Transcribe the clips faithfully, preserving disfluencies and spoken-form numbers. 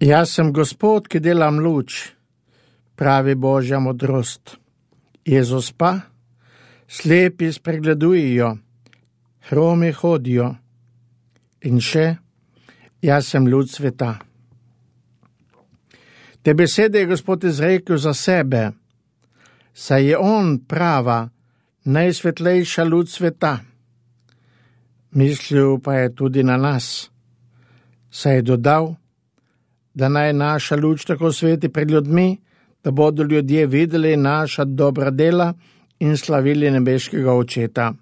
Jaz sem Gospod, ki delam luč, pravi Božja modrost. Jezus pa, slepi spregledujejo, hromi hodijo. In še, jaz sem luč sveta. Te besede je Gospod izrekel za sebe, saj je on prava, najsvetlejša luč sveta. Mislil pa je tudi na nas, saj je dodal, da naj naša luč tako sveti pred ljudmi, da bodo ljudje videli naša dobra dela in slavili nebeškega Očeta.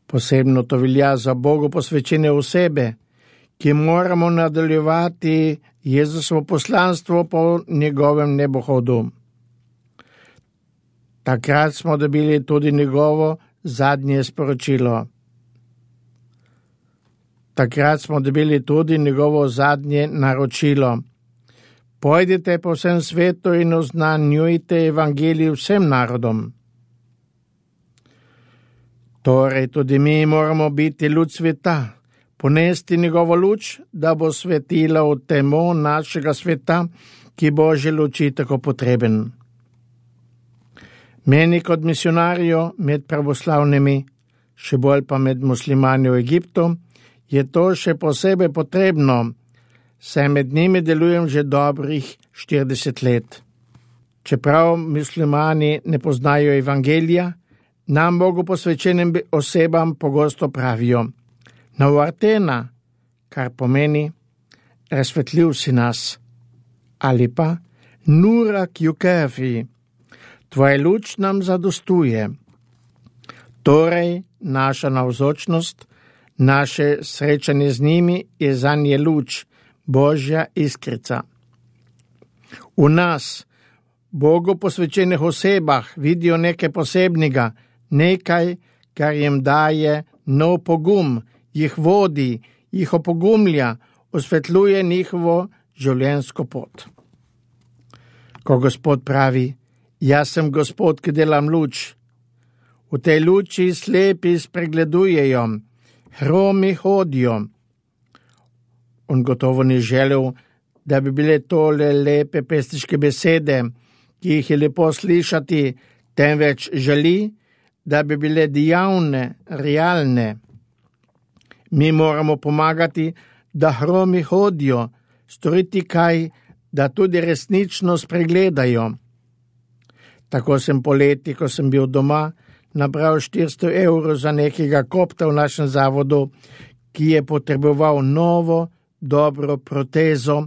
Posebno to velja za Bogu posvečene osebe, ki moramo nadaljevati Jezusovo poslanstvo po njegovem nebohodu. Takrat smo dobili tudi njegovo zadnje sporočilo. Takrat smo dobili tudi njegovo zadnje naročilo. Pojdite po vsem svetu in oznanjujte evangelij vsem narodom. Torej tudi mi moramo biti luč sveta, ponesti njegovo luč, da bo svetila v temo našega sveta, ki Božje luči tako potreben. Meni kot misionarju med pravoslavnimi, še bolj pa med muslimani v Egiptu, je to še posebej potrebno, saj med njimi delujem že dobrih štirideset let. Čeprav muslimani ne poznajo evangelija, nam Bogu posvečenim osebam pogosto pravijo: Navartena, kar pomeni razsvetljiv si nas, ali pa Nurak Yukafi, tvoja luč nam zadostuje. Torej, naša navzočnost, naše srečanje z njimi je zanje luč, Božja iskrica. V nas, Bogu posvečenih osebah, vidijo nekaj posebnega, nekaj, kar jim daje nov pogum, jih vodi, jih opogumlja, osvetljuje njihovo življenjsko pot. Ko Gospod pravi: Jaz sem Gospod, ki delam luč, v tej luči slepi spregledujejo, hromi hodijo. On gotovo ni želel, da bi bile tole lepe pesniške besede, ki jih je lepo slišati, temveč želi, da bi bile dejavne, realne. Mi moramo pomagati, da hromi hodijo, storiti kaj, da tudi resnično spregledajo. Tako sem poleti, ko sem bil doma, nabral štiristo evrov za nekega kopta v našem zavodu, ki je potreboval novo, dobro protezo,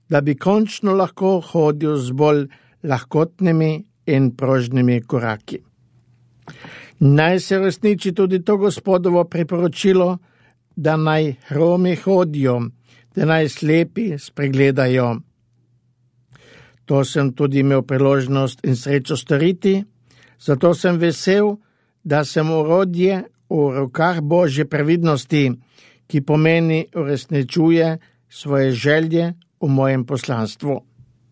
da bi končno lahko hodil z bolj lahkotnimi in prožnimi koraki. Naj se resniči tudi to Gospodovo priporočilo, da naj hromi hodijo, da naj slepi spregledajo. To sem tudi imel priložnost in srečo storiti, zato sem vesel, da sem orodje v rokah Božje previdnosti, ki pomeni uresničuje svoje želje v mojem poslanstvu.